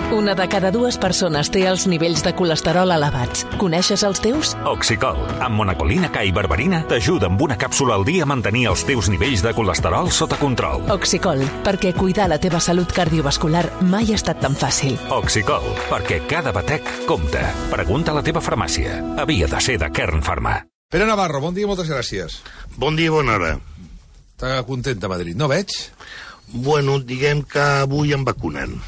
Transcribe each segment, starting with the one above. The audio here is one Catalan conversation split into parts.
Una de cada dues persones té els nivells de colesterol elevats. Coneixes els teus? Oxicol, amb monacolina K i berberina, t'ajuda amb una càpsula al dia a mantenir els teus nivells de colesterol sota control. Oxicol, perquè cuidar la teva salut cardiovascular mai ha estat tan fàcil. Oxicol, perquè cada batec compta. Pregunta a la teva farmàcia. Havia de ser de Kern Pharma. Pere Navarro, bon dia i moltes gràcies. Bon dia i bona hora. Està content a Madrid, no veig? Bueno, diguem que avui em vacunen.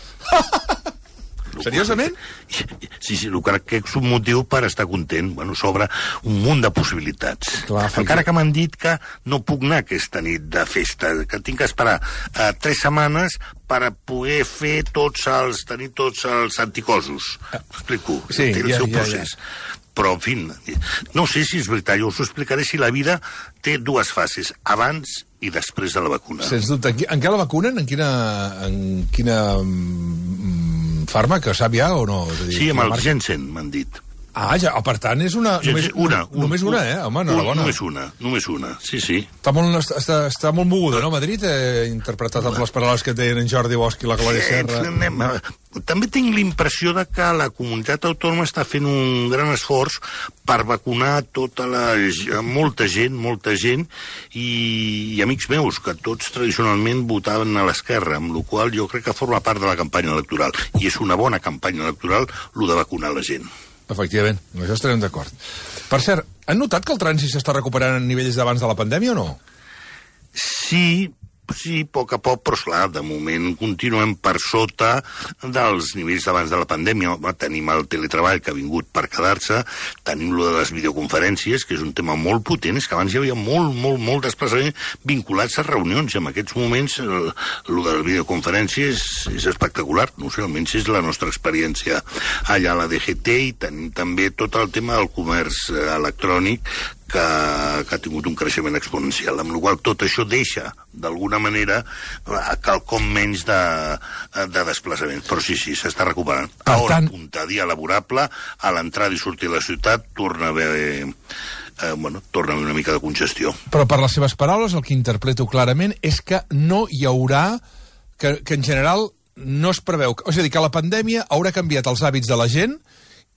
Seriosament? Sí, el que és un motiu per estar content. Bueno, s'obre un munt de possibilitats. Clar, encara que m'han dit que no puc anar aquesta nit de festa, que tinc que esperar 3 setmanes per poder tenir tots els anticossos. M'explico? Sí, té el seu procés. Però, en fi, no sé si és veritat, jo us ho explicaré si la vida té 2 fases, abans i després de la vacuna. Sens dubte. En què la vacunen? En quina fàrmac? Sap ja o no? Sí, amb el Janssen, m'han dit. Ah, ja, per tant, és una... Només una, Home, enhorabona. Només una, sí. Està molt moguda, no, Madrid? Interpretat amb les paraules que deien en Jordi Bosch i la Glòria Serra. També tinc l'impressió de que la comunitat autònoma està fent un gran esforç per vacunar molta gent, i amics meus, que tots tradicionalment votaven a l'esquerra, amb la qual jo crec que forma part de la campanya electoral. I és una bona campanya electoral, lo de vacunar la gent. Efectivament, amb això estarem d'acord. Per cert, han notat que el trànsit s'està recuperant a nivells d'abans de la pandèmia o no? Sí, a poc a poc, però esclar, de moment continuem per sota dels nivells d'abans de la pandèmia. Tenim el teletreball que ha vingut per quedar-se, tenim lo de les videoconferències, que és un tema molt potent, és que abans hi havia molt desplaçament vinculats a reunions, i en aquests moments lo de les videoconferències és espectacular, no sé, almenys és la nostra experiència allà a la DGT, i tenim també tot el tema del comerç electrònic, que ha tingut un creixement exponencial, amb la qual tot això deixa, d'alguna manera, quelcom menys de desplaçament. Però sí, s'està recuperant. A hora punta, dia laborable, a l'entrada i sortir de la ciutat, torna a haver una mica de congestió. Però per les seves paraules, el que interpreto clarament és que no hi haurà, que en general no es preveu... És a dir, que la pandèmia haurà canviat els hàbits de la gent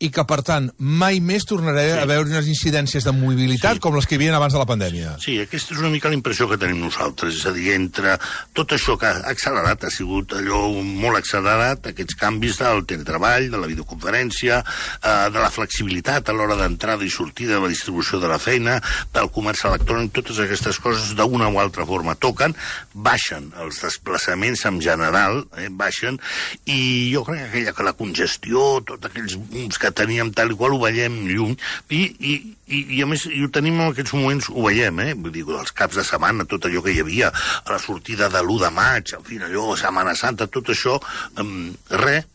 i que, per tant, mai més tornarà a haver unes incidències de mobilitat com les que hi havia abans de la pandèmia. Sí, aquesta és una mica la impressió que tenim nosaltres. És a dir, entre tot això que ha accelerat, ha sigut allò molt accelerat, aquests canvis del teletreball, de la videoconferència, de la flexibilitat a l'hora d'entrada i sortida de la distribució de la feina, del comerç electrònic, totes aquestes coses d'una o altra forma toquen, baixen els desplaçaments en general, baixen, i jo crec que la congestió, tots aquells booms que teníem tal i qual, ho veiem lluny, i a més, i ho tenim en aquests moments, ho veiem, vull dir, els caps de setmana, tot allò que hi havia, a la sortida de l'1 de maig, en fi, allò, Setmana Santa, tot això, res,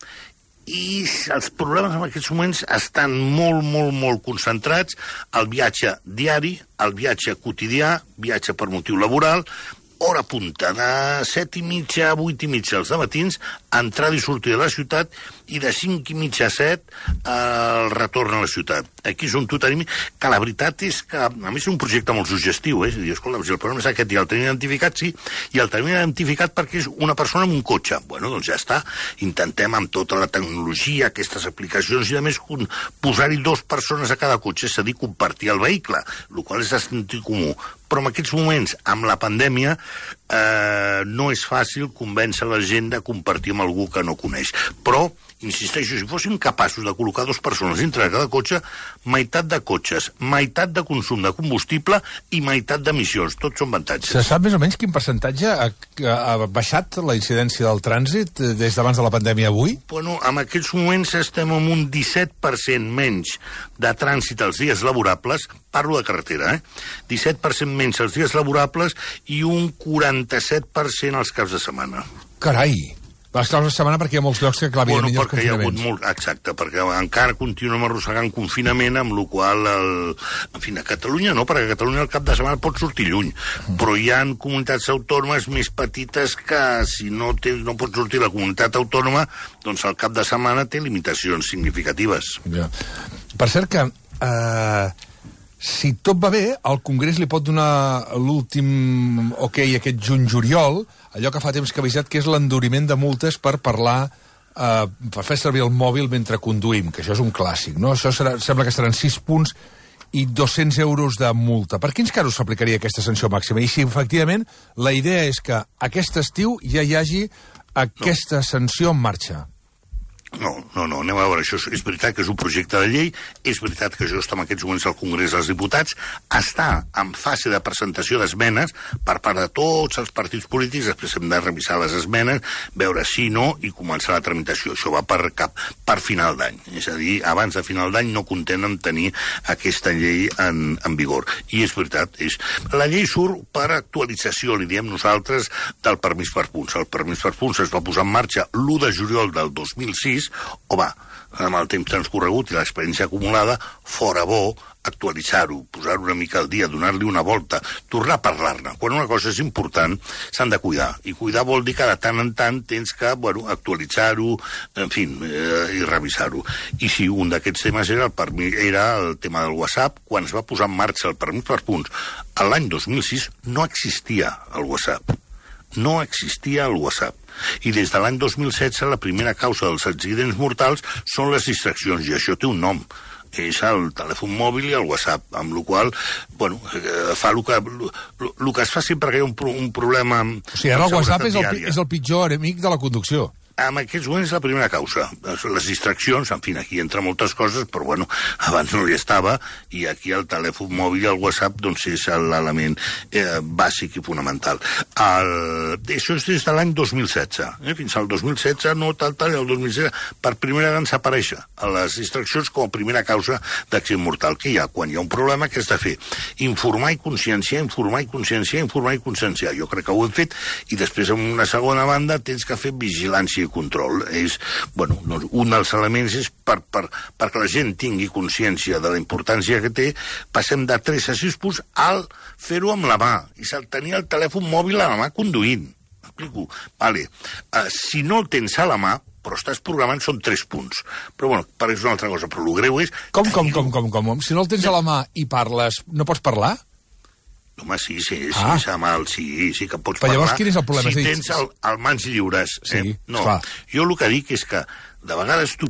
i els problemes en aquests moments estan molt concentrats al viatge diari, al viatge quotidià, viatge per motiu laboral, hora punta, de 7:30 a 8:30 els dematins, entrada i sortida de la ciutat, i de 5:30 a 7 el retorn a la ciutat. Aquí és on tu tenim, que la veritat és que, a més, és un projecte molt suggestiu, és a dir, escolta, si el problema és aquest i el tenim identificat, sí, i el tenim identificat perquè és una persona amb un cotxe. Bueno, doncs ja està, intentem amb tota la tecnologia, aquestes aplicacions, i a més posar-hi 2 persones a cada cotxe, és a dir, compartir el vehicle, el qual és de sentit comú. Però en aquests moments, amb la pandèmia, no és fàcil convèncer la gent de compartir amb algú que no coneix. Però, insisteixo, si fóssim capaços de col·locar 2 persones dintre de cada cotxe, meitat de cotxes, meitat de consum de combustible i meitat d'emissions. Tots són avantatges. Se sap més o menys quin percentatge ha baixat la incidència del trànsit des d'abans de la pandèmia avui? Bueno, en aquests moments estem en un 17% menys de trànsit als dies laborables, parlo de carretera, 17% menys als dies laborables i un 47% als caps de setmana. Carai! Les caps de setmana perquè hi ha molts llocs que, clar, evidentment, perquè hi ha hagut molt... Exacte, perquè encara continuem arrossegant confinament, amb la qual en fi, a Catalunya no, perquè a Catalunya el cap de setmana pot sortir lluny, però hi ha comunitats autònomes més petites que, si no pot sortir la comunitat autònoma, doncs el cap de setmana té limitacions significatives. Ja. Per cert que... si tot va bé, el Congrés li pot donar l'últim aquest juny-juliol, allò que fa temps que ha avisat, que és l'enduriment de multes per parlar fer servir el mòbil mentre conduïm, que això és un clàssic, no? Això sembla que seran 6 punts i 200 euros de multa. Per quins casos s'aplicaria aquesta sanció màxima? I si, efectivament, la idea és que aquest estiu ja hi hagi aquesta sanció en marxa. No, anem a veure, això és veritat que és un projecte de llei, és veritat que això està en aquests moments al Congrés dels Diputats, està en fase de presentació d'esmenes per part de tots els partits polítics, després hem de revisar les esmenes, veure si no i començar la tramitació. Això va per final d'any, és a dir, abans de final d'any no contenen tenir aquesta llei en vigor. I és veritat, la llei surt per actualització, li diem nosaltres, del permís per punts. El permís per punts es va posar en marxa l'1 de juliol del 2006, amb el temps transcorregut i l'experiència acumulada, fora bo actualitzar-ho, posar-ho una mica al dia, donar-li una volta, tornar a parlar-ne. Quan una cosa és important, s'han de cuidar. I cuidar vol dir que de tant en tant tens que actualitzar-ho, en fi, i revisar-ho. I sí, un d'aquests temes era el tema del WhatsApp. Quan es va posar en marxa el permís per punts, l'any 2006 no existia el WhatsApp. No existia el WhatsApp. I des de l'any 2016 la primera causa dels accidents mortals són les distraccions, i això té un nom. És el telèfon mòbil i el WhatsApp, amb la qual fa el que es fa sempre que hi ha un problema... O sigui, ara el WhatsApp és el pitjor enemic de la conducció. En aquests moments és la primera causa. Les distraccions, en fi, aquí entra moltes coses, però abans no hi estava, i aquí el telèfon mòbil i el WhatsApp doncs és l'element bàsic i fonamental. Això és des de l'any 2016. Fins al 2016, no tal, el 2016, per primera vegada desaparèixer les distraccions com a primera causa d'accident mortal. Què hi ha? Quan hi ha un problema, què has de fer? Informar i conscienciar, informar i conscienciar, informar i conscienciar. Jo crec que ho hem fet, i després, en una segona banda, tens que fer vigilància i control. Un dels elements és perquè la gent tingui consciència de la importància que té, passem de 3 a 6 punts al fer-ho amb la mà, i tenir el telèfon mòbil a la mà conduint. Explico? Vale. Si no el tens a la mà, però estàs programant, són 3 punts. Però és una altra cosa, però el greu és... Com? Si no el tens a la mà i parles, no pots parlar? Home, sí, que pots parlar. Però llavors quin és el problema? Si tens el mans lliures. Sí, no, clar. Jo el que dic és que de vegades tu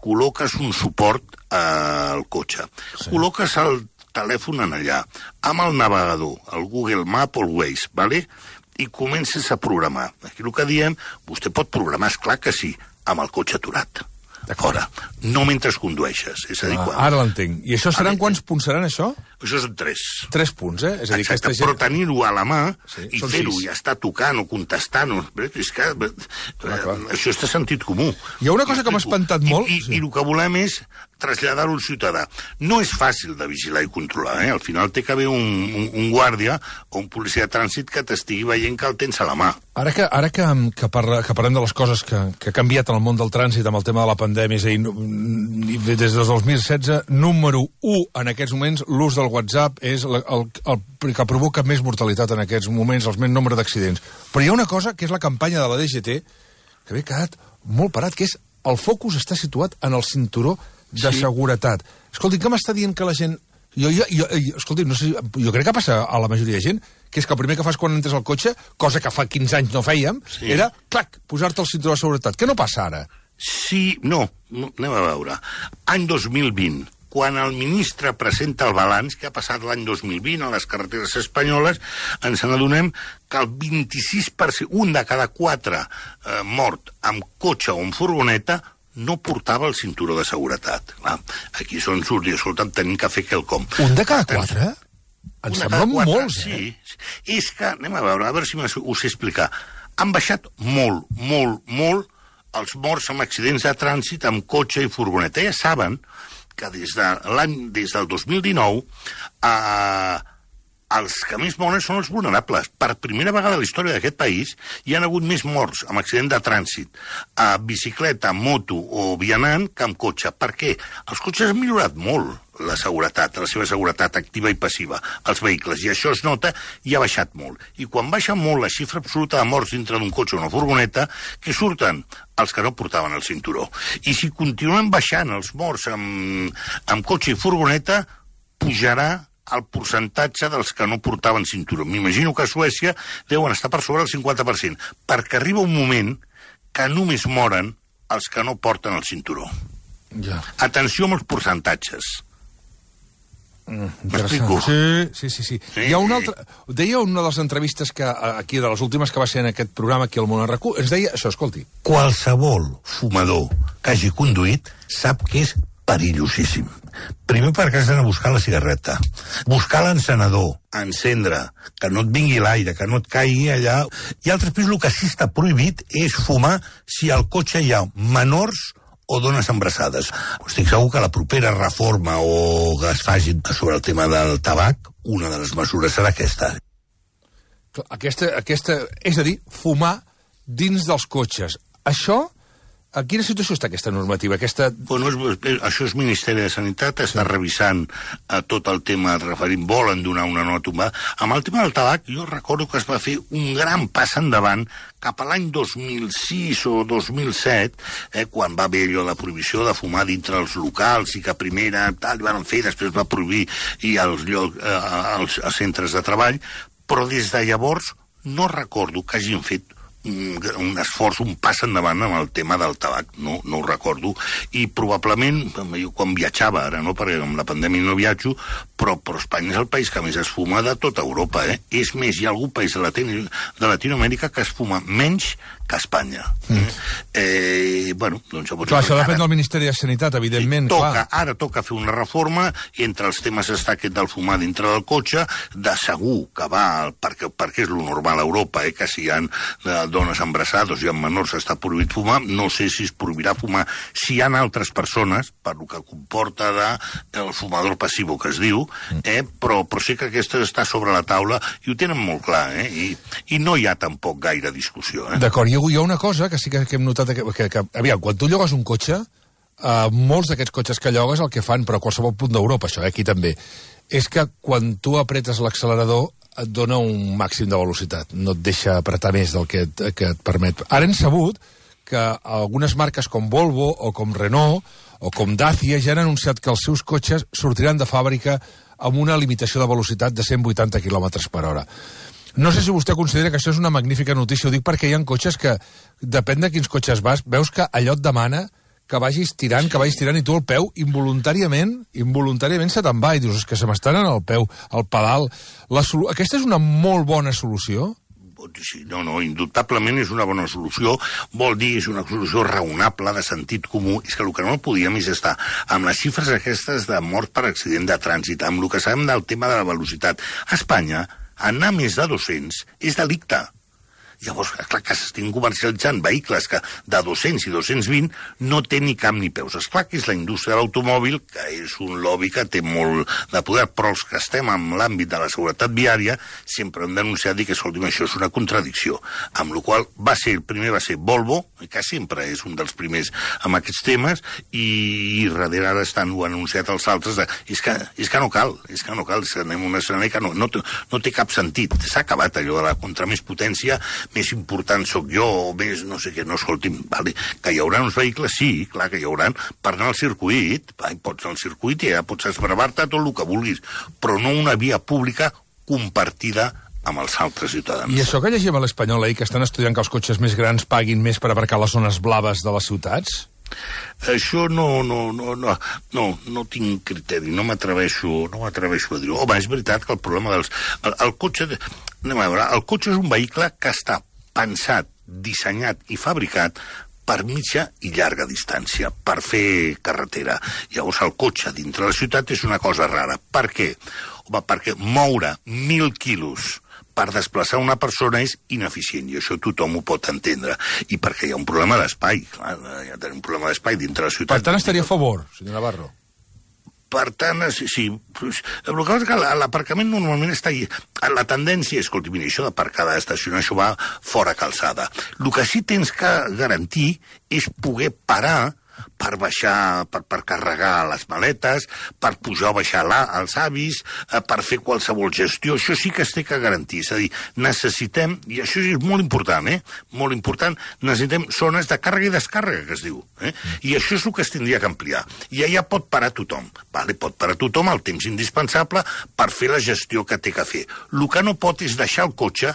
col·loques un suport al cotxe. Sí. Col·loques el telèfon en allà, amb el navegador, el Google Map o el Waze, ¿vale? I comences a programar. Aquí el que diem, vostè pot programar, esclar que sí, amb el cotxe aturat. Fora. No mentre condueixes. És a dir, ara l'entenc. I això seran quants punts seran, això? Això són 3. 3 punts, eh? És a dir, exacte, però tenir-ho a la mà i fer-ho i estar tocant o contestant, és que això és de sentit comú. Hi ha una cosa que m'ha espantat molt... I el que volem és traslladar-ho al ciutadà. No és fàcil de vigilar i controlar, eh? Al final té que haver un guàrdia o un policia de trànsit que t'estigui veient que el tens a la mà. Ara que parlem de les coses que ha canviat en el món del trànsit amb el tema de la pandèmia, és a dir, des del 2016, número 1 en aquests moments, l'ús del WhatsApp és el que provoca més mortalitat en aquests moments, el més nombre d'accidents. Però hi ha una cosa, que és la campanya de la DGT, que m'he quedat molt parat, que és el focus està situat en el cinturó de seguretat. Escolti, què m'està dient que la gent... Escolti, no sé, jo crec que passa a la majoria de gent, que és que el primer que fas quan entres al cotxe, cosa que fa 15 anys no fèiem, era, clac, posar-te el cinturó de seguretat. Què no passa ara? Sí, no, anem a veure. Any 2020, quan el ministre presenta el balanç que ha passat l'any 2020 a les carreteres espanyoles, ens n'adonem que el 26%, un de cada 4 mort amb cotxe o amb furgoneta, no portava el cinturó de seguretat. Aquí són surt i escolta'm, tenim que fer quelcom. Un de cada 4? Em semblen molts, eh? Sí. És que, anem a veure si us sé explicar. Han baixat molt els morts amb accidents de trànsit amb cotxe i furgoneta. Ja saben que des del 2019 els que més moren són els vulnerables. Per primera vegada a la història d'aquest país hi ha hagut més morts amb accident de trànsit a bicicleta, moto o vianant que amb cotxe. Per què? Els cotxes han millorat molt la seguretat, la seva seguretat activa i passiva, els vehicles, i això es nota i ha baixat molt. I quan baixa molt la xifra absoluta de morts dintre d'un cotxe o una furgoneta, que surten els que no portaven el cinturó. I si continuem baixant els morts amb cotxe i furgoneta, pujarà el percentatge dels que no portaven cinturó. M'imagino que a Suècia deuen estar per sobre del 50%, perquè arriba un moment que només moren els que no porten el cinturó. Ja. Atenció amb els percentatges. M'explico? Sí. Hi ha una altra... Deia una de les entrevistes que aquí, de les últimes que va ser en aquest programa aquí al Món RQ, ens deia això, escolti. Qualsevol fumador que hagi conduït sap que és perillosíssim. Primer perquè has d'anar a buscar la cigarreta, buscar l'encenedor, encendre, que no et vingui l'aire, que no et caigui allà. I altres el que sí està prohibit és fumar si al cotxe hi ha menors o dones embarassades. Estic segur que la propera reforma o que es faci sobre el tema del tabac, una de les mesures serà aquesta. Aquesta, és a dir, fumar dins dels cotxes. Això, a quina situació està aquesta normativa? Bueno, això és Ministeri de Sanitat, està revisant tot el tema referint, volen donar una nova tombada. Amb el tema del tabac, jo recordo que es va fer un gran pas endavant cap a l'any 2006 o 2007, quan va haver allò de prohibició de fumar dintre els locals i que primera tal van fer, després va prohibir i als centres de treball, però des de llavors no recordo que hagin fet un esforç, un pas endavant amb el tema del tabac, no ho recordo, i probablement, jo quan viatjava, ara no, perquè amb la pandèmia no viatjo, però Espanya és el país que més es fuma de tota Europa, És més, hi ha algun país de Latinoamèrica que es fuma menys que Espanya. Bueno, doncs... Clar, això depèn del Ministeri de Sanitat, evidentment, clar. Ara toca fer una reforma, i entre els temes està aquest del fumar dintre del cotxe, de segur que va, perquè és lo normal a Europa, que si hi ha dones embarassades i amb menors està prohibit fumar, no sé si es prohibirà fumar si hi ha altres persones, per lo que comporta el fumador passiu que es diu, però sí que aquesta està sobre la taula i ho tenen molt clar, i no hi ha tampoc gaire discussió. D'acord, hi ha una cosa que sí que hem notat, que aviam, quan tu llogues un cotxe, molts d'aquests cotxes que llogues el que fan, però a qualsevol punt d'Europa, això, aquí també, és que quan tu apretes l'accelerador et dona un màxim de velocitat, no et deixa apretar més del que et permet. Ara hem sabut que algunes marques com Volvo o com Renault o com Dacia ja han anunciat que els seus cotxes sortiran de fàbrica amb una limitació de velocitat de 180 km per hora. No sé si vostè considera que això és una magnífica notícia, ho dic perquè hi ha cotxes que, depèn de quins cotxes vas, veus que allò et demana que vagis tirant, i tu el peu involuntàriament se te'n va i dius, és que se m'està anant el peu, el pedal. Aquesta és una molt bona solució? Sí, no, indubtablement és una bona solució, vol dir, és una solució raonable, de sentit comú, és que el que no podíem és estar amb les xifres aquestes de morts per accident de trànsit, amb el que sabem del tema de la velocitat. A Espanya, anar més de 200 és delicte. Llavors, clar que s'estan comercialitzant vehicles que de 200 i 220 no té ni cap ni peus. Esclar que és la indústria de l'automòbil, que és un lobby que té molt de poder, però els que estem en l'àmbit de la seguretat viària sempre hem denunciat i que, escolti'm, això és una contradicció. Amb la qual el primer va ser Volvo, que sempre és un dels primers amb aquests temes, i darrere ara ho han anunciat els altres. És que no cal, anem a un escenari que no té cap sentit. S'ha acabat allò de la contra més potència, més important sóc jo, o més no sé què, no, escolti'm, vale, que hi haurà uns vehicles, sí, clar que hi haurà, per anar al circuit, pots anar al circuit i ja pots esbravar-te tot el que vulguis, però no una via pública compartida amb els altres ciutadans. I això que llegim a l'Espanyol ahir, que estan estudiant que els cotxes més grans paguin més per aparcar les zones blaves de les ciutats? Això no tinc criteri, no m'atreveixo a dir-ho. Home, és veritat que el problema dels... El cotxe... Anem a veure, el cotxe és un vehicle que està pensat, dissenyat i fabricat per mitja i llarga distància, per fer carretera. Llavors el cotxe dintre la ciutat és una cosa rara. Per què? Home, perquè moure 1.000 quilos per desplaçar una persona és ineficient, i això tothom ho pot entendre. I perquè hi ha un problema d'espai, clar, hi ha un problema d'espai dintre la ciutat. Per tant, estaria a favor, senyor Navarro. Per tant, sí. El que passa és que l'aparcament normalment està allà. La tendència és, escolti, mira, això d'aparcar, d'estacionar, això va fora calçada. El que sí tens que garantir és poder parar per baixar, per carregar les maletes, per pujar o baixar els avis, per fer qualsevol gestió. Això sí que es té que garantir. És a dir, necessitem, i això és molt important, molt important, necessitem zones de càrrega i descàrrega, que es diu. I això és el que es tindria que ampliar. I allà pot parar tothom. Pot parar tothom el temps indispensable per fer la gestió que té que fer. El que no pot és deixar el cotxe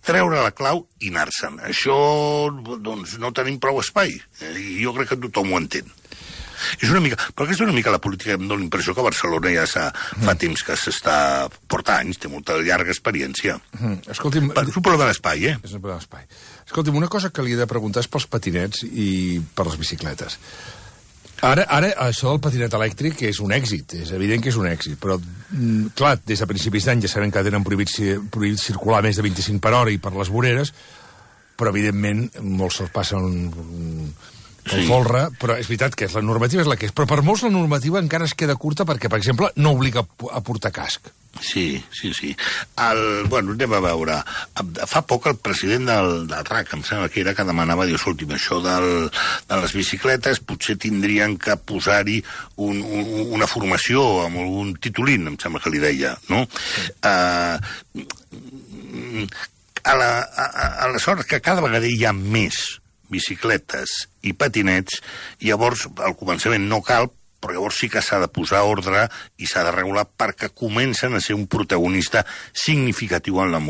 treure la clau i anar-se'n. Això, doncs, no tenim prou espai. I jo crec que tothom ho entén. És una mica, perquè és una mica la política, em dóna l'impressió que Barcelona ja fa temps que s'està portant anys, té molta llarga experiència. Escolti'm... És un problema d'espai, És un problema d'espai. Escolti'm, una cosa que li he de preguntar és pels patinets i per les bicicletes. Ara, això del patinet elèctric és un èxit, és evident que és un èxit, però, clar, des de principis d'any ja sabem que tenen prohibit circular més de 25 per hora i per les voreres, però, evidentment, molts se'ls passen el folre, però és veritat que la normativa és la que és. Però per molts la normativa encara es queda curta perquè, per exemple, no obliga a portar casc. Sí. Bueno, anem a veure. Fa poc el president del RAC, em sembla que era, que demanava, diu, escolti'm, això de les bicicletes potser tindrien que posar-hi una formació amb algun titulín, em sembla que li deia, no? Aleshores, que cada vegada hi ha més bicicletes i patinets, llavors al començament no cal, però llavors sí que s'ha de posar ordre i s'ha de regular perquè comencen a ser un protagonista significatiu en la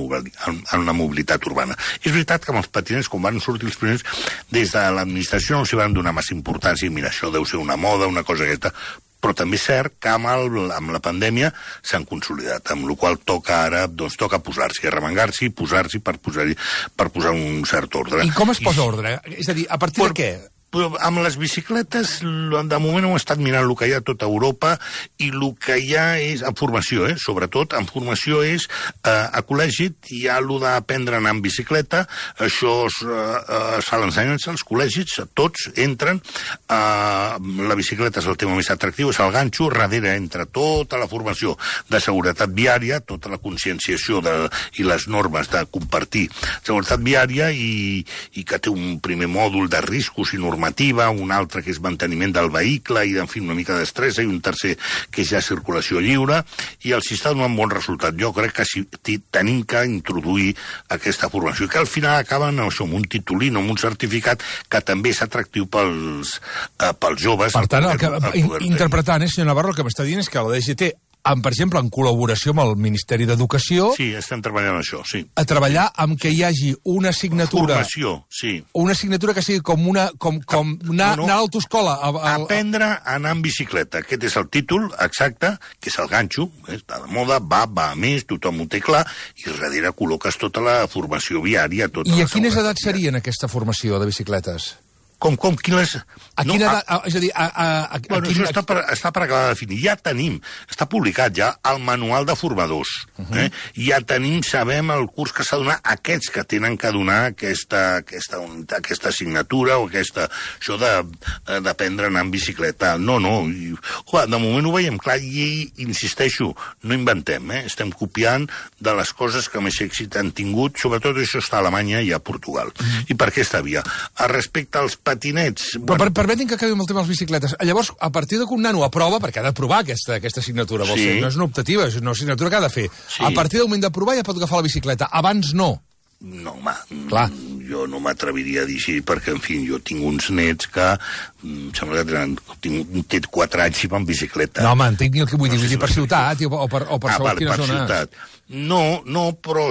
mobilitat urbana. És veritat que amb els patinets, quan van sortir els primers, des de l'administració no s'hi van donar massa importància, i mira, això deu ser una moda, una cosa aquesta, però també és cert que amb la pandèmia s'han consolidat, amb la qual toca ara, doncs toca posar-s'hi, arremangar-s'hi, posar-s'hi per posar un cert ordre. I com es posa ordre? És a dir, a partir de què? Amb les bicicletes, de moment hem estat mirant el que hi ha a tota Europa, i el que hi ha és, en formació, sobretot, en formació és, a col·legi hi ha el d'aprendre a anar en bicicleta, això es fa l'ensenyança als col·legis, tots entren, la bicicleta és el tema més atractiu, és el ganxo, darrere entra tota la formació de seguretat viària, tota la conscienciació i les normes de compartir seguretat viària, i que té un primer mòdul de riscos i normativa, un altre que és manteniment del vehicle i, en fi, una mica d'estrès, i un tercer que és ja circulació lliure, i els està donant bon resultat. Jo crec que sí, tenim que introduir aquesta formació, i que al final acaben amb un titulí o amb un certificat que també és atractiu pels joves. Per tant, interpretant, senyor Navarro, el que m'està dient és que la DGT, per exemple, en col·laboració amb el Ministeri d'Educació... Sí, estem treballant això, sí. A treballar amb que hi hagi una assignatura... Formació, sí. Una assignatura que sigui com anar a l'autoscola... Aprendre a anar en bicicleta. Aquest és el títol exacte, que és el ganxo, està de moda, va a més, tothom ho té clar, i darrere col·loques tota la formació viària... I a quines edats serien aquesta formació de bicicletes? Quines... A quina edat... És a dir, bueno, això està per acabar de definir. Ja tenim, està publicat ja el manual de formadors. Ja tenim, sabem, el curs que s'ha de donar, aquests que tenen que donar aquesta assignatura o això d'aprendre a anar en bicicleta. No. De moment ho veiem clar i, insisteixo, no inventem, estem copiant de les coses que més èxit han tingut, sobretot això està a Alemanya i a Portugal. I per aquesta via. Respecte als patinets... Però permetin que acabi amb el tema de les bicicletes. Llavors, a partir que un nano aprova, perquè ha d'aprovar aquesta assignatura, vol ser, no és una optativa, és una assignatura que ha de fer. Sí. A partir del moment d'aprovar ja pot agafar la bicicleta. Abans no. No, home, jo no m'atreviria a dir així, perquè, en fi, jo tinc uns nets que sembla que té 4 anys i van en bicicleta. No, home, entenc el que vull dir per ciutat o per segons quina zona. Ciutat. No, però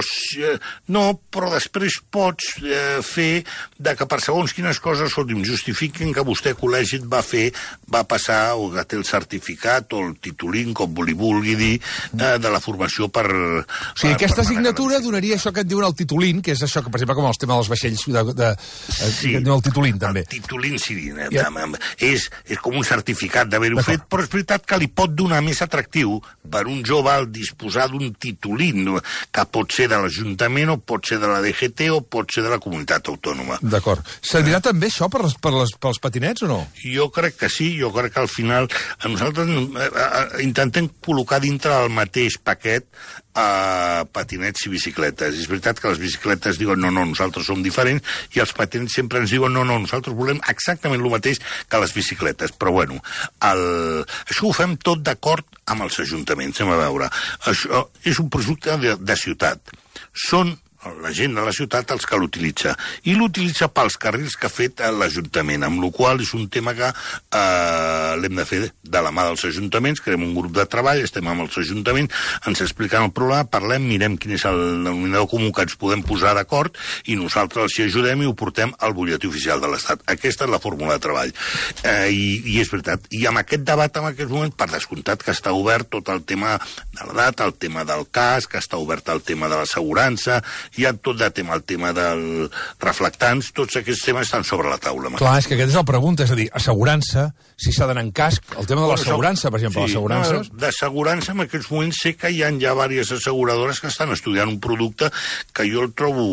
després pots fer que per segons quines coses, justifiquin que vostè a col·legi va passar, o que té el certificat o el titulín, com li vulgui dir, de la formació per... O sigui, aquesta assignatura donaria això que et diuen el titulín, que és això que, per exemple, com el tema dels vaixells, sí, el titulín, també. El titulín, sí, és com un certificat d'haver-ho fet, però és veritat que li pot donar més atractiu per un jove al disposar d'un titulín, que pot ser de l'Ajuntament, o pot ser de la DGT, o pot ser de la comunitat autònoma. D'acord. Servirà també això pels patinets o no? Jo crec que sí, jo crec que al final nosaltres intentem col·locar dintre del mateix paquet patinets i bicicletes. És veritat que les bicicletes diuen no, nosaltres som diferents, i els patinets sempre ens diuen no, nosaltres volem exactament el mateix que les bicicletes. Però bueno, això ho fem tot d'acord amb els ajuntaments. Anem a veure. Això és un projecte de ciutat. Són la gent de la ciutat els que l'utilitza. I l'utilitza pels carrils que ha fet l'Ajuntament, amb la qual és un tema que l'hem de fer de la mà dels ajuntaments, creem un grup de treball, estem amb els ajuntaments, ens expliquen el problema, parlem, mirem quin és el denominador comú que ens podem posar d'acord i nosaltres els hi ajudem i ho portem al butlletí oficial de l'Estat. Aquesta és la fórmula de treball. I és veritat. I amb aquest debat en aquest moment, per descomptat que està obert tot el tema de la data, el tema del cas, que està obert el tema de l'assegurança, hi ha tot de tema, el tema dels reflectants, tots aquests temes estan sobre la taula. Clar, és que aquesta és la pregunta, és a dir, assegurança, si s'ha d'anar en casc, el tema de l'assegurança, per exemple, sí, l'assegurança... D'assegurança, en aquests moments sé que hi ha ja diverses asseguradores que estan estudiant un producte que jo el trobo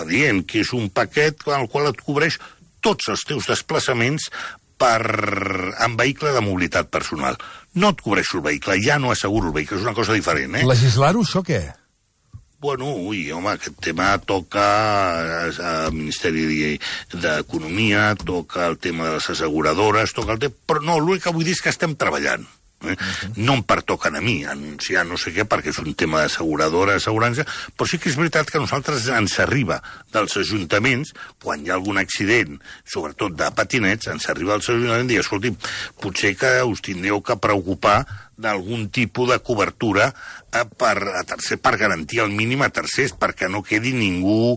adient, que és un paquet en el qual et cobreix tots els teus desplaçaments en vehicle de mobilitat personal. No et cobreixo el vehicle, ja no asseguro el vehicle, és una cosa diferent, Legislar-ho, això què? Bueno, home, aquest tema toca al Ministeri d'Economia, toca el tema de les asseguradores, toca el tema... Però no, l'únic que vull dir és que estem treballant. No em pertoquen a mi anunciar no sé què, perquè és un tema d'asseguradora, assegurança, però sí que és veritat que a nosaltres ens arriba dels ajuntaments, quan hi ha algun accident, sobretot de patinets, ens arriba dels ajuntaments i dir, escolti, potser que us tindreu que preocupar d'algun tipus de cobertura per garantir el mínim a tercers, perquè no quedi ningú...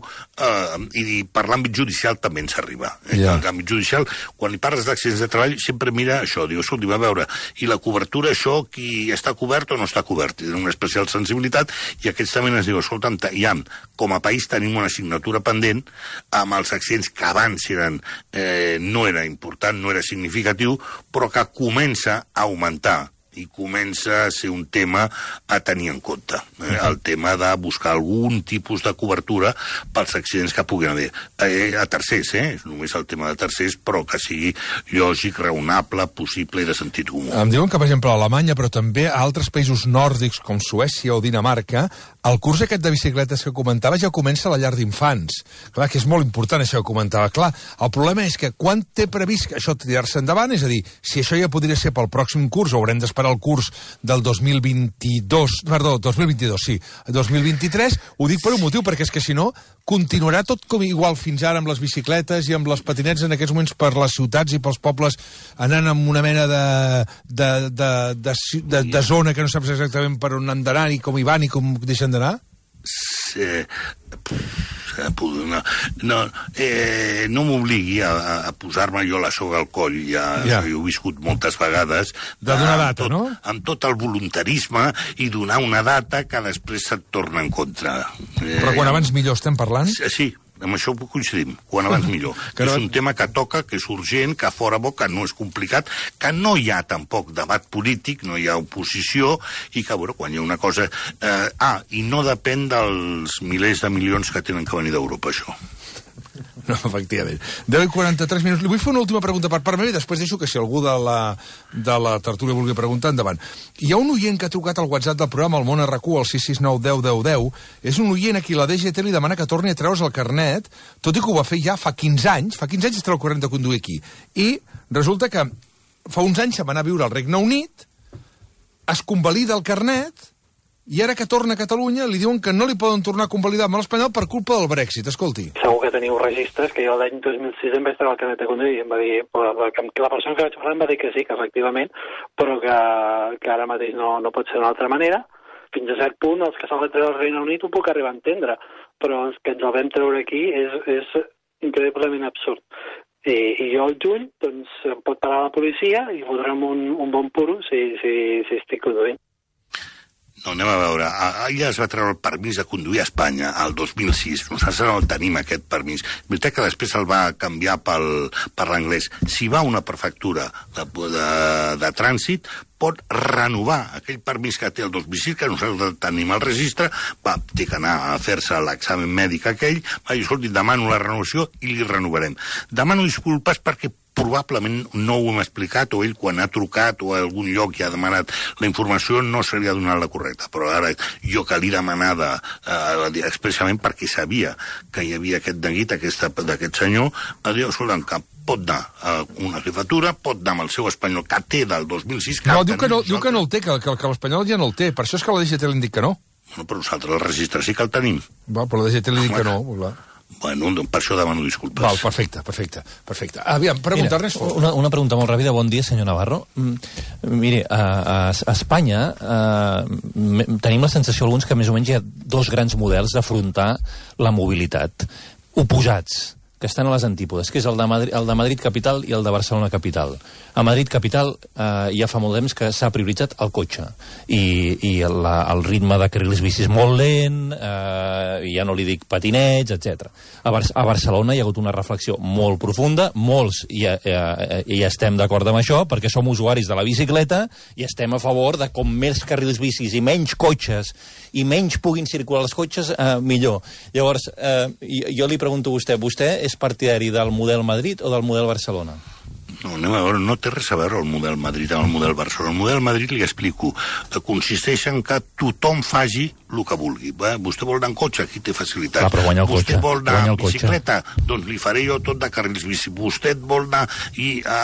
I per l'àmbit judicial també ens arriba. L'àmbit judicial, quan hi parles d'accidents de treball, sempre mira això, diu, escolti, va veure, i la cobertura, això, qui està cobert o no està cobert? Tenen una especial sensibilitat, i aquests també ens diu, escolta'm, com a país tenim una assignatura pendent amb els accidents que abans no era important, no era significatiu, però que comença a augmentar i comença a ser un tema a tenir en compte. El tema de buscar algun tipus de cobertura pels accidents que puguin haver. A tercers, és només el tema de tercers, però que sigui lògic, raonable, possible i de sentit comú. Em diuen que, per exemple, a Alemanya, però també a altres països nòrdics com Suècia o Dinamarca, el curs aquest de bicicletes que comentava ja comença a la llar d'infants. Clar, que és molt important això que comentava. Clar, el problema és que quan té previst això tirar-se endavant, és a dir, si això ja podria ser pel pròxim curs, haurem d'esperar el curs del 2022, 2023, ho dic per un motiu, perquè és que si no, continuarà tot com igual fins ara amb les bicicletes i amb les patinets en aquests moments per les ciutats i pels pobles anant amb una mena de zona que no saps exactament per on han d'anar i com hi van i com deixen d'anar? No m'obligui a posar-me jo la soga al coll, ja ho he viscut moltes vegades, de donar data, no? Amb tot el voluntarisme i donar una data que després se't torna en contra. Però quan abans millor estem parlant? Sí, amb això coincidim, quan abans millor. Que és un tema que toca, que és urgent, que fora bo, que no és complicat, que no hi ha tampoc debat polític, no hi ha oposició, i que, bueno, quan hi ha una cosa... i no depèn dels milers de milions que tenen que venir d'Europa, això. No, efectivament. 10:43 minuts. Li vull fer una última pregunta per part meva i després deixo que si algú de la tertúlia vulgui preguntar, endavant. Hi ha un oient que ha trucat al WhatsApp del programa, al Món RQ, al 669 10 10 10. És un oient a qui la DGT li demana que torni a treure's el carnet, tot i que ho va fer ja fa 15 anys. Fa 15 anys es treu el carnet de conduir aquí. I resulta que fa uns anys se'n va anar a viure al Regne Unit, es convalida el carnet, i ara que torna a Catalunya li diuen que no li poden tornar a convalidar amb l'espanyol per culpa del Brexit. Escolti. Segur que teniu registres, que jo l'any 2006 em vaig treure el carnet de conduir i em va dir, que la persona que vaig parlar em va dir que sí, que efectivament, però que ara mateix no pot ser d'una altra manera. Fins a cert punt, els que s'han de treure al Regne Unit ho puc arribar a entendre, però els que ens el vam treure aquí és increïblement absurd. I jo al juny, doncs, em pot parar la policia i fotre'm un bon puro si estic conduint. No, anem a veure. Ella es va treure el permís de conduir a Espanya al 2006. Nosaltres no el tenim, aquest permís. És veritat que després el va canviar per l'anglès. Si va a una prefectura de trànsit, pot renovar aquell permís que té el 2006, que nosaltres tenim al registre, té que anar a fer-se l'examen mèdic aquell, va dir, escolti, demano la renovació i li renovarem. Demano disculpes perquè probablement no ho hem explicat, o ell quan ha trucat o a algun lloc i ha demanat la informació no se li ha donat la correcta, però ara jo que li demanava expressament perquè sabia que hi havia aquest neguit d'aquest senyor, va dir, escolta'm, que pot anar a una jefatura, pot anar amb el seu espanyol que té del 2006... No, diu que no el té, que l'espanyol ja no el té, per això és que la DGT li han dit que no. Bueno, però nosaltres el registre sí que el tenim. Va, però la DGT li dic que no. Clar. Bueno, per això demano disculpes. Val, perfecte. Aviam, pregunta, Ernest Fort. Una pregunta molt ràpida. Bon dia, senyor Navarro. Mire, a Espanya tenim la sensació alguns que més o menys hi ha dos grans models d'afrontar la mobilitat, oposats, que estan a les antípodes, que és el de Madrid capital i el de Barcelona capital. A Madrid capital ja fa molt temps que s'ha prioritzat el cotxe i el ritme de carrils bicis molt lent, ja no li dic patinets, etc. A Barcelona hi ha hagut una reflexió molt profunda, molts i estem d'acord amb això, perquè som usuaris de la bicicleta i estem a favor de com més carrils bicis i menys cotxes i menys puguin circular els cotxes, millor. Llavors, jo li pregunto a vostè és partidari del model Madrid o del model Barcelona? No, anem a veure, no té res a veure el model Madrid amb el model Barcelona. El model Madrid, li explico, consisteix en que tothom faci el que vulgui. Vostè vol anar en cotxe, aquí té facilitat. Clar, però guanya el cotxe. Vostè vol anar en bicicleta, doncs li faré jo tot de carrils bici. Vostè vol anar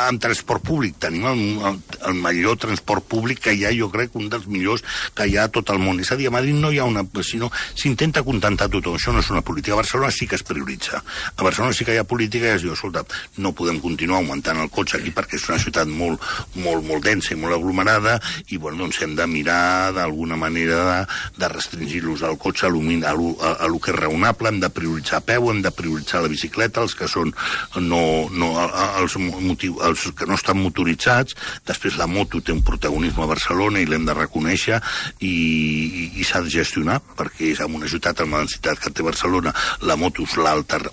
amb transport públic. Tenim el millor transport públic que hi ha, jo crec, un dels millors que hi ha a tot el món. És a dir, a Madrid no hi ha una... sinó s'intenta contentar tothom. Això no és una política. A Barcelona sí que es prioritza. A Barcelona sí que hi ha política i es diu, escolta, no podem continuar augmentant el cotxe aquí perquè és una ciutat molt densa i molt aglomerada i, bueno, doncs hem de mirar d'alguna manera de restringir l'ús del cotxe a lo que és raonable, hem de prioritzar a peu, hem de prioritzar la bicicleta, els que són els que no estan motoritzats. Després la moto té un protagonisme a Barcelona i l'hem de reconèixer i s'ha de gestionar, perquè és en una ciutat amb la densitat que té Barcelona, la moto és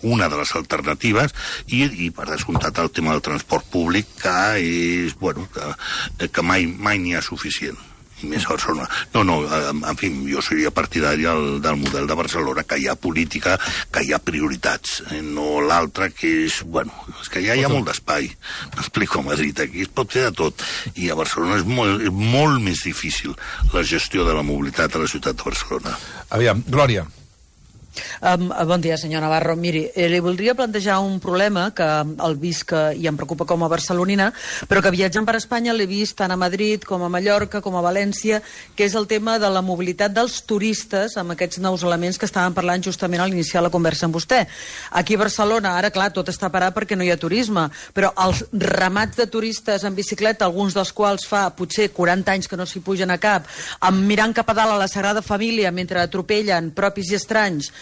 una de les alternatives i per descomptat el tema del transport públic que és, bueno, que mai n'hi ha suficient. I més a Barcelona. No, en fi, jo seria partidari del model de Barcelona, que hi ha política, que hi ha prioritats, no l'altre que és, bueno, és que ja hi ha molt d'espai. M'explico, a Madrid, aquí es pot fer de tot, i a Barcelona és molt més difícil la gestió de la mobilitat a la ciutat de Barcelona. Aviam, Glòria. Bon dia, senyor Navarro. Miri, li voldria plantejar un problema que el visc i em preocupa com a barcelonina, però que viatjant per Espanya l'he vist tant a Madrid com a Mallorca com a València, que és el tema de la mobilitat dels turistes amb aquests nous elements que estàvem parlant justament a l'iniciar la conversa amb vostè. Aquí a Barcelona, ara, clar, tot està parat perquè no hi ha turisme, però els ramats de turistes en bicicleta, alguns dels quals fa potser 40 anys que no s'hi pugen a cap, mirant cap a dalt a la Sagrada Família mentre atropellen propis i estranys.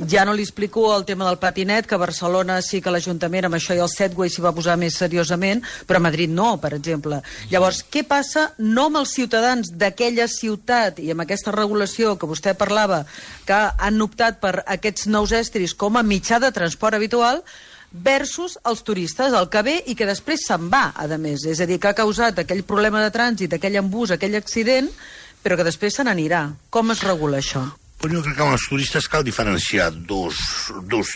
Ja no li explico el tema del patinet, que a Barcelona sí que l'Ajuntament amb això i el Segway s'hi va posar més seriosament, però a Madrid no, per exemple. Llavors, què passa no amb els ciutadans d'aquella ciutat i amb aquesta regulació que vostè parlava, que han optat per aquests nous estris com a mitjà de transport habitual, versus els turistes, el que ve i que després se'n va, a més. És a dir, que ha causat aquell problema de trànsit, aquell embús, aquell accident, però que després se n'anirà. Com es regula això? Però jo crec que amb els turistes cal diferenciar dos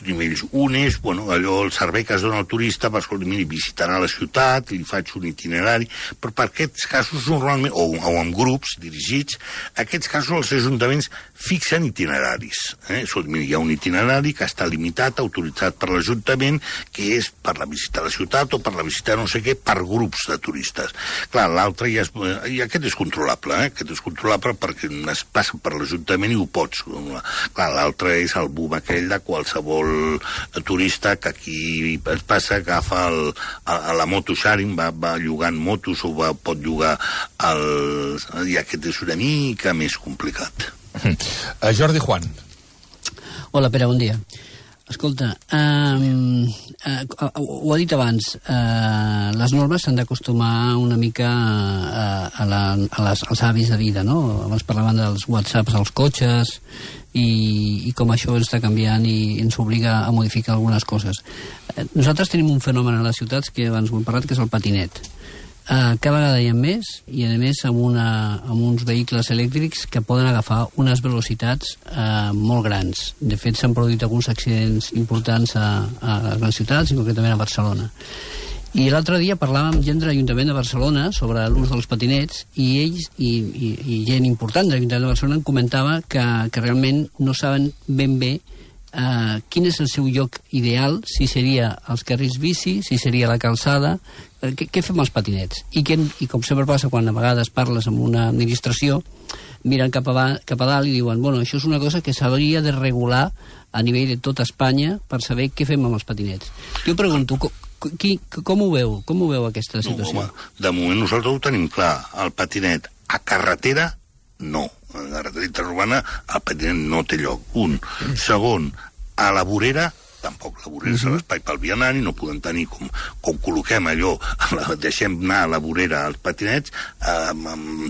nivells. Un és, bueno, allò, el servei que es dona al turista, per escoltar, miri, visitarà la ciutat, li faig un itinerari, però per aquests casos normalment, o amb grups dirigits, aquests casos els ajuntaments fixen itineraris. Miri, hi ha un itinerari que està limitat, autoritzat per l'Ajuntament, que és per la visita a la ciutat o per la visita no sé què, per grups de turistes. Clar, l'altre ja és... I aquest és controlable, Aquest és controlable perquè es passa per l'Ajuntament i ho pots. Clar, l'altre és el boom aquell de qualsevol turista que aquí es passa, agafa la moto sharing, va llogant motos o pot llogar i aquest és una mica més complicat. Jordi Juan. Hola, Pere, bon dia. Escolta, ho ha dit abans, les normes s'han d'acostumar una mica als hàbits de vida, no? Abans parlaven dels whatsapps als cotxes i com això està canviant i ens obliga a modificar algunes coses. Nosaltres tenim un fenomen a les ciutats que abans ho hem parlat, que és el patinet. Cada vegada hi ha més i a més amb uns vehicles elèctrics que poden agafar unes velocitats molt grans. De fet s'han produït alguns accidents importants a les grans ciutats i concretament a Barcelona. I l'altre dia parlàvem amb gent de l'Ajuntament de Barcelona sobre l'ús dels patinets i ells i gent important de l'Ajuntament de Barcelona em comentava que realment no saben ben bé quin és el seu lloc ideal, si seria els carrils bici, si seria la calçada, què fem els patinets? I com sempre passa quan a vegades parles amb una administració, miren cap a dalt i diuen, bueno, això és una cosa que s'hauria de regular a nivell de tota Espanya per saber què fem amb els patinets. Jo pregunto, com ho veu aquesta situació? No, home, de moment nosaltres ho tenim clar. El patinet a carretera, no. A la carretera interurbana el patinet no té lloc. Un. Segon, a la vorera, tampoc. La vorera és l'espai pel vianant i no podem tenir com col·loquem allò, deixem anar a la vorera als patinets,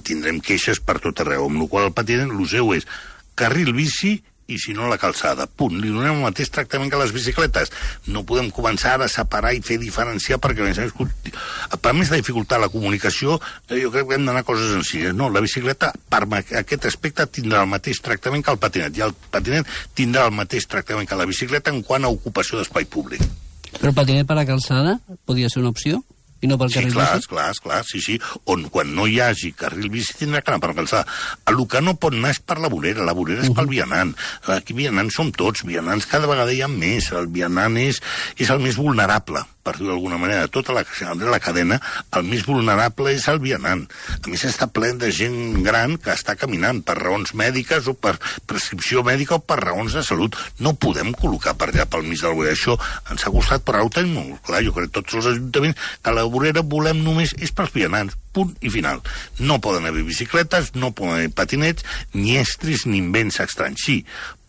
tindrem queixes per tot arreu, amb la qual el patinet, el seu és carril bici i si no la calçada, punt. Li donem el mateix tractament que les bicicletes. No podem començar a separar i fer diferenciar perquè a més de dificultar la comunicació, jo crec que hem d'anar a coses senzilles. No, la bicicleta per aquest aspecte tindrà el mateix tractament que el patinet i el patinet tindrà el mateix tractament que la bicicleta en quant a ocupació d'espai públic. Però el patinet per la calçada podria ser una opció? I no pel carril bici? Clar, sí. On quan no hi hagi carril bici tindrà que anar per la calçada. El que no pot anar és per la vorera és pel vianant. Aquí vianants som tots, vianants cada vegada hi ha més. El vianant és el més vulnerable, per dir-ho d'alguna manera. Tota la cadena, el més vulnerable és el vianant. A més, està ple de gent gran que està caminant per raons mèdiques o per prescripció mèdica o per raons de salut. No podem col·locar per allà pel mig del vorera. Això ens ha costat, però ara ho tenim molt clar. Jo crec que tots els ajuntaments que la vorera volem només és pels vianants. Punt i final. No poden haver bicicletes, no poden haver patinets, ni estris ni invents estranys. Sí,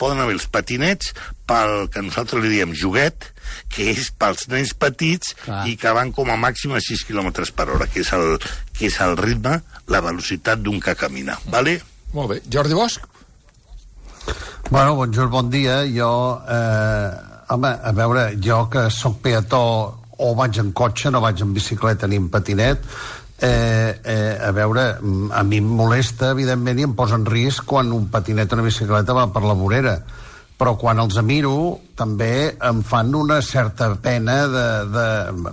poden haver els patinets pel que nosaltres li diem joguet, que és pels nens petits i que van com a màxim a 6 km per hora, que és el ritme, la velocitat d'un que camina. Vale? Molt bé. Jordi Bosch? Bueno, bon dia. Jo, home, a veure, jo que soc peató o vaig en cotxe, no vaig en bicicleta ni en patinet, a veure, a mi em molesta, evidentment, i em posa en risc quan un patinet o una bicicleta va per la vorera. Però quan els miro, també em fan una certa pena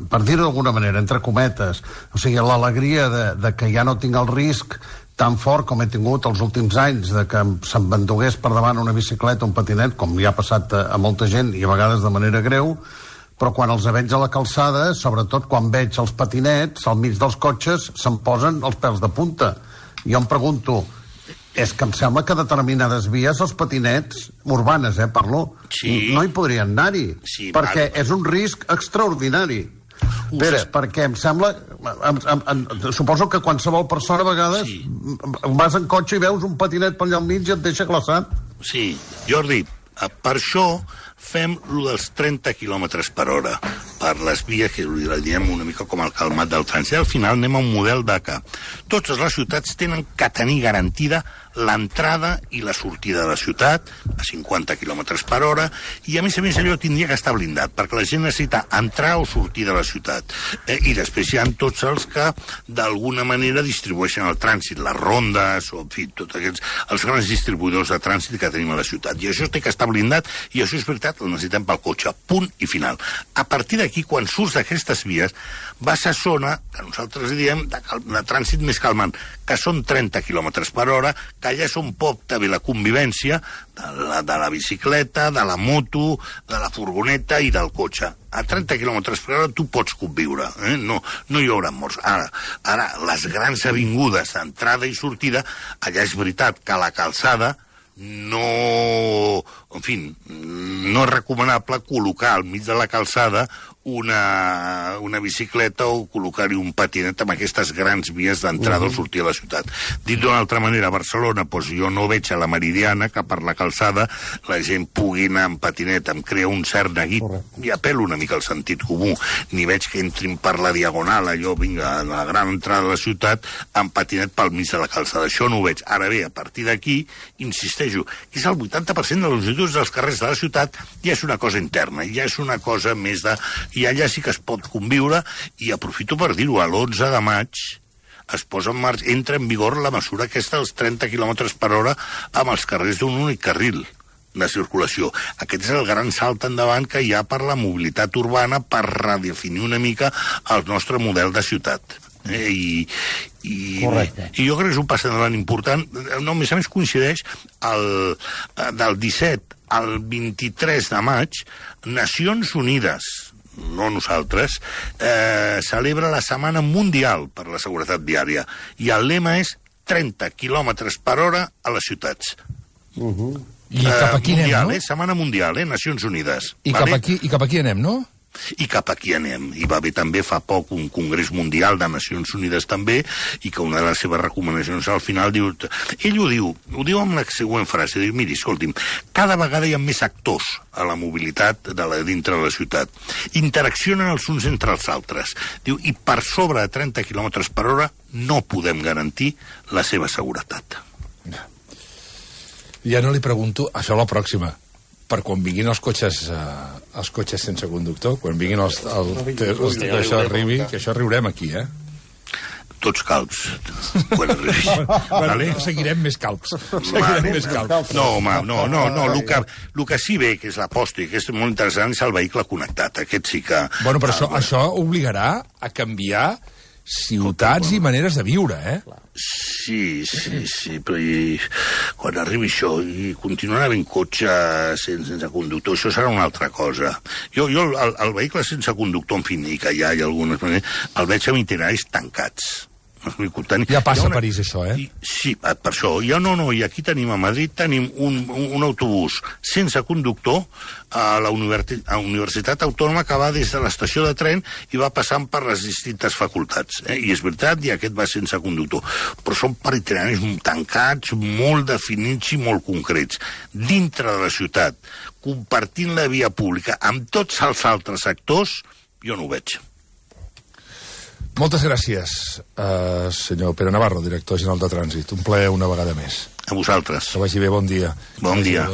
per dir-ho d'alguna manera, entre cometes. O sigui, l'alegria de que ja no tinc el risc tan fort com he tingut els últims anys, de que se'm vendugués per davant una bicicleta o un patinet, com ja ha passat a molta gent, i a vegades de manera greu, però quan els veig a la calçada, sobretot quan veig els patinets al mig dels cotxes, se'm posen els pèls de punta. Jo em pregunto, és que em sembla que determinades vies, els patinets, urbanes, parlo, no hi podrien anar-hi, perquè és un risc extraordinari. Pere, perquè em sembla... Suposo que qualsevol persona a vegades vas en cotxe i veus un patinet per allà al mig i et deixa glaçat. Sí, Jordi, per això fem lo dels 30 km per hora per les vies, que ho diem una mica com el calmat del francès. Al final anem a un model de que totes les ciutats tenen que tenir garantida l'entrada i la sortida de la ciutat a 50 km per hora i a més allò tindria que estar blindat perquè la gent necessita entrar o sortir de la ciutat. I després hi ha tots els que d'alguna manera distribueixen el trànsit, les rondes o en fi, tots els grans distribuïdors de trànsit que tenim a la ciutat. I això té que estar blindat i això és veritat, el necessitem pel cotxe, punt i final. A partir d'aquí, quan surts d'aquestes vies, vas a zona, que nosaltres diem, de trànsit més calmant, que són 30 km per hora, que allà és on pot haver la convivència de la bicicleta, de la moto, de la furgoneta i del cotxe. A 30 km per hora tu pots conviure, no hi haurà morts. Ara, les grans avingudes d'entrada i sortida, allà és veritat que la calçada no és recomanable col·locar al mig de la calçada una bicicleta o col·locar-hi un patinet amb aquestes grans vies d'entrada o sortida a la ciutat. Dit d'una altra manera, a Barcelona, jo no veig a la Meridiana que per la calçada la gent pugui anar amb patinet, em crea un cert neguit, i apel·lo una mica al sentit comú, ni veig que entrin per la diagonal, allò, vinga, a la gran entrada de la ciutat, amb patinet pel mig de la calçada. Això no ho veig. Ara bé, a partir d'aquí, insisteixo, que és el 80% de les longituds dels carrers de la ciutat ja és una cosa interna, ja és una cosa més de... I allà sí que es pot conviure, i aprofito per dir-ho, l'11 de maig es posa en marxa, entra en vigor la mesura aquesta dels 30 km per hora amb els carrers d'un únic carril de circulació. Aquest és el gran salt endavant que hi ha per la mobilitat urbana per redefinir una mica el nostre model de ciutat. I jo crec que és un pas endavant important. No, a més coincideix del 17 al 23 de maig Nacions Unides no nosaltres, celebra la Setmana Mundial per la Seguretat Viària. I el lema és 30 km per hora a les ciutats. I cap aquí mundial, anem, no? Setmana Mundial, Nacions Unides. I cap aquí anem, no? I cap aquí anem. Hi va haver també fa poc un Congrés Mundial de Nacions Unides també, i que una de les seves recomanacions al final diu... Ell ho diu amb la següent frase, diu, miri, escolti'm, cada vegada hi ha més actors a la mobilitat dintre de la ciutat. Interaccionen els uns entre els altres. Diu, i per sobre de 30 km per hora no podem garantir la seva seguretat. Ja no li pregunto, això a la pròxima, per quan vinguin els cotxes sense conductor, quan vinguin que això arribi, que això riurem aquí, Tots calbs, quan arribi. Vale? Seguirem més calbs. No, home, no. El que sí ve, que és l'aposta, i que és molt interessant, és el vehicle connectat. Aquest sí que... Bueno, però això obligarà a canviar ciutats i maneres de viure, Sí, però quan arribi això i continuarà havent cotxe sense conductor, això serà una altra cosa. Jo el vehicle sense conductor, en fi, i que ja hi ha algunes maneres, el veig amb itineraris tancats. Ja passa a París, això, Sí, per això. I aquí tenim, a Madrid, tenim un autobús sense conductor a la Universitat Autònoma que va des de l'estació de tren i va passant per les distintes facultats. I és veritat, i aquest va sense conductor. Però són per itineraris tancats, molt definits i molt concrets. Dintre de la ciutat, compartint la via pública amb tots els altres actors, jo no ho veig. Moltes gràcies, senyor Pere Navarro, director general de Trànsit. Un plaer una vegada més. A vosaltres. Que vagi bé, bon dia. Bon dia.